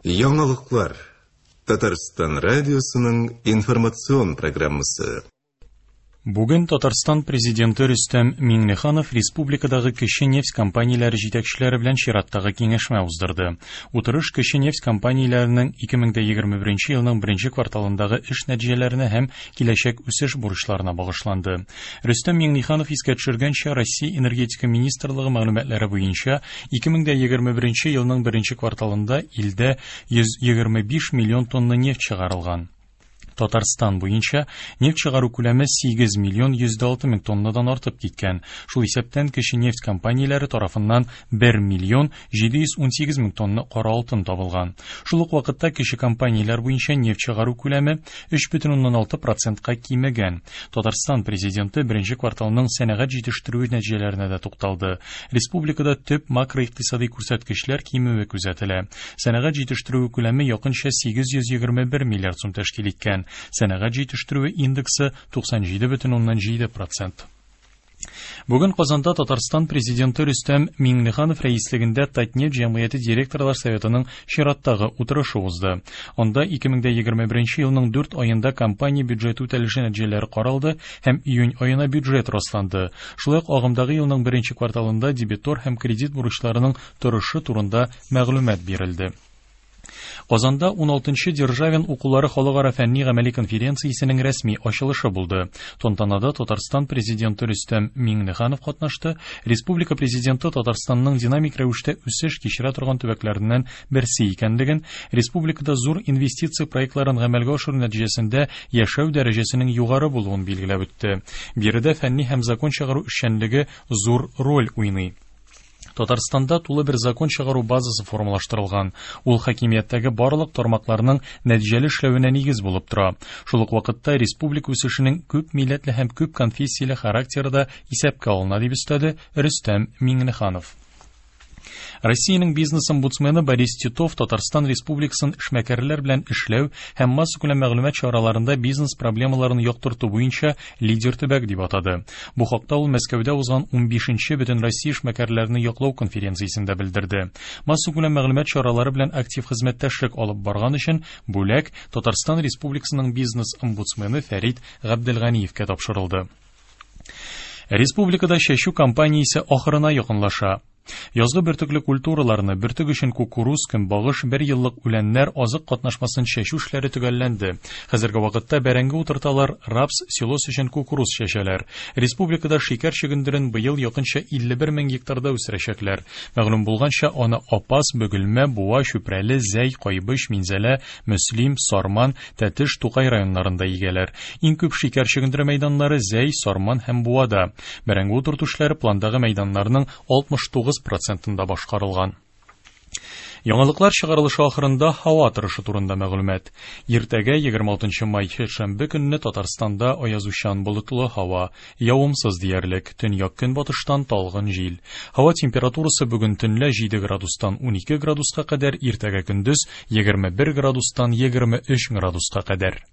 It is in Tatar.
Яңалыклар. Татарстан радиосының информацион программасы. Бүген Татарстан Президенты Рөстәм Миңнеханов республикадагы кече нефть компанияләре җитәкчеләре белән чираттагы киңәшмә уздырды. Утырыш кече нефть компанияләренең 2021 елның беренче кварталындагы эш нәтиҗәләренә һәм киләчәк үсеш бурычларына багышланды. Рөстәм Миңнеханов искә төшергәнчә, Россия Энергетика министрлыгы мәгълүматлары буенча 2021 елның беренче кварталында илдә 125 миллион тонна нефть чыгарылган. Татарстан буенча нефть чыгару күләме 8 миллион 106 мең тоннадан артып киткән. Шул исәптән кече нефть компанияләре тарафыннан 1 миллион 718 мең тонна кара алтын табылган. Шул ук вакытта кече компанияләр буенча нефть чыгару күләме 3,6 процентка кимегән. Татарстан президенты беренче кварталның сәнәгать җитештерүе нәтиҗәләренә дә тукталды. Республикада төп макроикътисади күрсәткечләр кимүе күзәтелә. Сәнәгать җитештерүе күләме якынча 821 миллиард сум тәшкил иткән. Сәнәгать җитештерүе индексы 97,7 процент. Бүген Казанда Татарстан президенты Рөстәм Миңнеханов рәислегендә Татнефть җәмгыяте директорлар советының чираттагы утырышы узды. Анда 2021 елның 4 аенда компания бюджеты үтәлеше нәтиҗәләре каралды һәм июнь аена бюджет расланды. Шулай ук агымдагы елның беренче кварталында дебитор һәм кредит бурычларының торышы турында мәгълүмат бирелде. Казанда 16-нчы Державин укулары халыкара фәнни-гамәли конференциясенең рәсми ачылышы булды. Тантанада Татарстан президенты Рөстәм Миңнеханов катнашты. Республика президенты Татарстанның динамик рәвештә үсеш кичерә торган төбәкләреннән берсе икәнлеген, республикада зур инвестиция проектларын гамәлгә ашыру нәтиҗәсендә яшәү дәрәҗәсенең югары булуын билгеләп үтте. Биредә фәнни һәм закон чыгару эшчәнлеге зур роль уйный. Татарстанда тулы бер закон чыгару базасы формалаштырылган. Ул хакимияттәге барлык тармакларның нәтиҗәле эшләвенә нигез булып тора. Шул ук вакытта республика үсешенең күп милләтле һәм күп конфессияле характеры да исәпкә алына, дип өстәде Рөстәм Миңнеханов. Россиянең бизнес-омбудсмены Борис Титов Татарстан Республикасын эшмәкәрләр белән эшләү һәм массакүләм мәгълүмат чараларында бизнес проблемаларын яктырту буенча лидер төбәк дип атады. Бу хакта ул Мәскәүдә узган 15-нче Бөтенроссия эшмәкәрләрне яклау конференциясендә белдерде. Массакүләм мәгълүмат чаралары белән актив хезмәттәшлек алып барган өчен бүләк Татарстан Республикасының бизнес-омбудсмены Фәрит Габделганиевкә тапшырылды. Республикада чәчү кампаниясе ахырына якынлаша. Язгы бөртекле культураларны, бөртек өчен кукуруз, көнбагыш, бер еллык үләннәр, азык катнашмасын чәчү эшләре төгәлләнде. Хәзерге вакытта бәрәңге утырталар, рапс, силос өчен кукуруз чәчәләр. Республикада шикәр чөгендерен быел якынча 51 мең гектарда үстерәчәкләр. Мәгълүм булганча, аны Апас, Бөгелмә, Буа, Чүпрәле, Зәй, Кайбыч, Минзәлә, Мөслим, Сарман, Тәтеш, Тукай районнарында игәләр. Иң күп шикәр чөгендере мәйданнары Зәй, Сарман һәм Буада. Бәрәңге утырту эшләре пландагы мәйданнарның 69 процентында башкарылган. Яңалыклар чыгарылышы ахырында һава торышы турында мәгълүмат. Иртәгә 26 май шәмбе көнне Татарстанда аязучан болытлы һава, явымсыз диярлек, төньяк-көнбатыштан талгын җил. Һава температурасы бүген төнлә 7 градустан 12 градуска кадәр, иртәгә көндез 21 градустан 23 градуска кадәр.